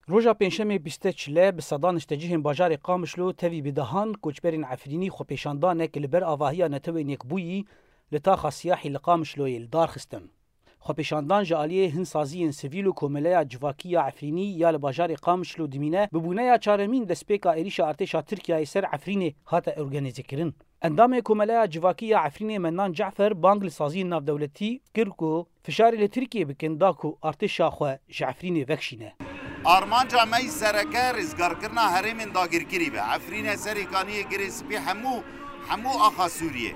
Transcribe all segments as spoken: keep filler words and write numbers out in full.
Roja Pêncşemê bîst çile bi sedan niştecihên bajarê Qamişlo tevî bi dehan koçberên Efrînî xwepêşandanek li ber avahiya Netewên Yekbûyî li taxa Siyahî li Qamişloyê li dar xistin. Xwepêşandan ji aliyê hin saziyên sivîl û Komeleya Civakî ya Efrînî ya li bajarê Qamişlo dimîne, bi bûneya çaremîn destpêka êrîşa artêşa Tirkiyeyê ser Efrînê hate organîzekirin. Endamê Komeleya Civakî ya Efrînê Mennan Cafer bang li saziyên navdewletî kir ku fişarê li Tirkiyê bikin da ku artêşa xwe ji Efrînê vekişîne. Armanca me yî sereke rêzgarkirina herêmên dagirkirî be. Efrîne, Serê Kaniyê, Girê Spî, hemû, hemû axa Sûriyê.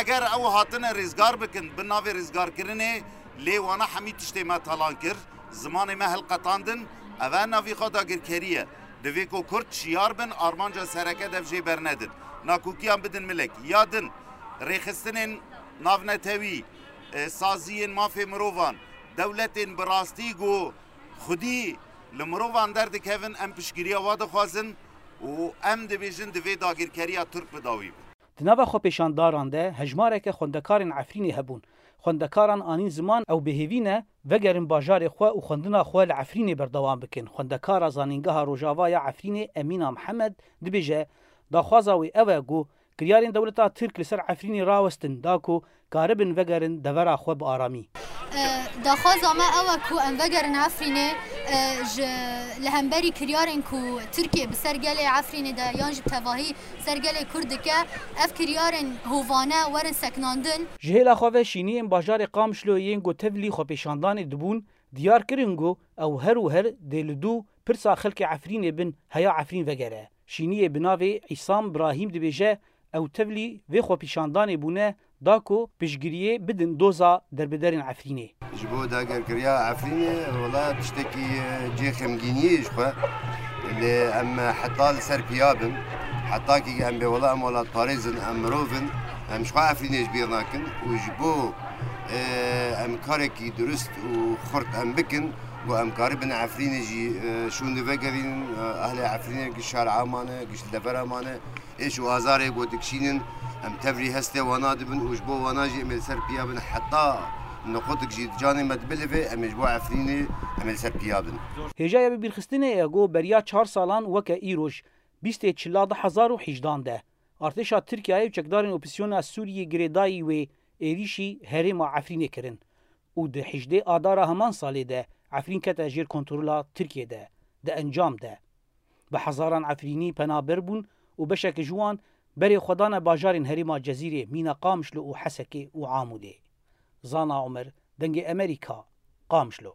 Eger ew hatine rêzgar bikin, bi navê rêzgarkirinê, lê wana hemî tiştê me talan kir, zimanê me hilqetandin, ev e navî xwe dagirkerî ye. Divê ku Kurd şiyar bin, armanca sereke dev jê bernedin. Nakokiyan bidin milek. Ya din, rêxistinên navnetewî, e, saziyên mafê mirovan, dewletên bi rastî ku xwedî li mirovan derdikevin, em piştgiriya wa dixwazin û em dibêjin divê dagirkeriya Tirk bi dawî be. Di nava xwepêşandaran de hejmareke xwendekarên Efrînê hebûn. Xwendekaran anîn ziman ew bi hêvî ne vegerin bajarê xwe û xwendina xwe li Efrînê berdewam bikin. Xwendekara Zanîngeha Rojava ya Efrînê Emîna Mihemed dibêje, daxwaza wê ew e ku kiryarên dewleta Tirk li ser Efrînê rawestin da ku karibin vegerin devera xwe bi aramî. E, daxwaza me ew e ku em vegerin Efrînê, e, ji, li hemberî kiryarên ku Tirkiye bi ser gelê Efrînê de yan jî bi tevahî ser gelê Kurd dike, ev kiryarên hovane werin seknandin. Ji hêla xwe ve şîniyên bajarê Qamişlo yên ku tevlî xwepêşandanê dibûn, diyar kirin ku ew her û her dê li dû pirsa xelkê Efrînê bin heya Efrîn vegere. Şîniyê bi navê Îsam Brahîm dibêje, ew tevlî vê xwepîşandanê bûne da ku piştgiriyê bidin doza derbiderên Efrînê. Ji bo dagirkeriya Efrînê, wela tiştekî, e, cihê xemgîniyê ji xwe. Lê em heta li ser piya bin, heta kî em bê wela em welatparêz in, em mirov in, em ji xwe Efrînê ji bîr nakin û ji bo, e, em karekî durist û xurt em bikin, ku em karibin Efrînê jî, e, şûnde vegerînin, e, ehlê Efrînê giş şara mane, giş li devera mane, êş û azarê ku dikişînin, em tevrî hestê wana dibin û ji bo wana jî em ê li ser piya bin heta niqotik jî di canê me dibilive, em ê ji bo Efrînê em ê li ser piya bin. Hêja ya bibîrxistinê ye ku beriya çar salan weke îroj, bîstê çila du hezar û hejdan de, artêşa Tirkiyeyê û çekdarên opozîsyona Sûriyê girêdayî wê êrîşî herêma Efrînê kirin û di hejdê Adara heman salê de Efrîn kete jêr kontrola Tirkiyê de, di encam de. Bi hezaran Efrînî penaber bûn û beşeke ji wan berê xwe dane bajarên herêma Cezîrê, mîna Qamişlo û Hesekê û Amûdê. Zana Omer, Dengê Emerîka, Qamişlo.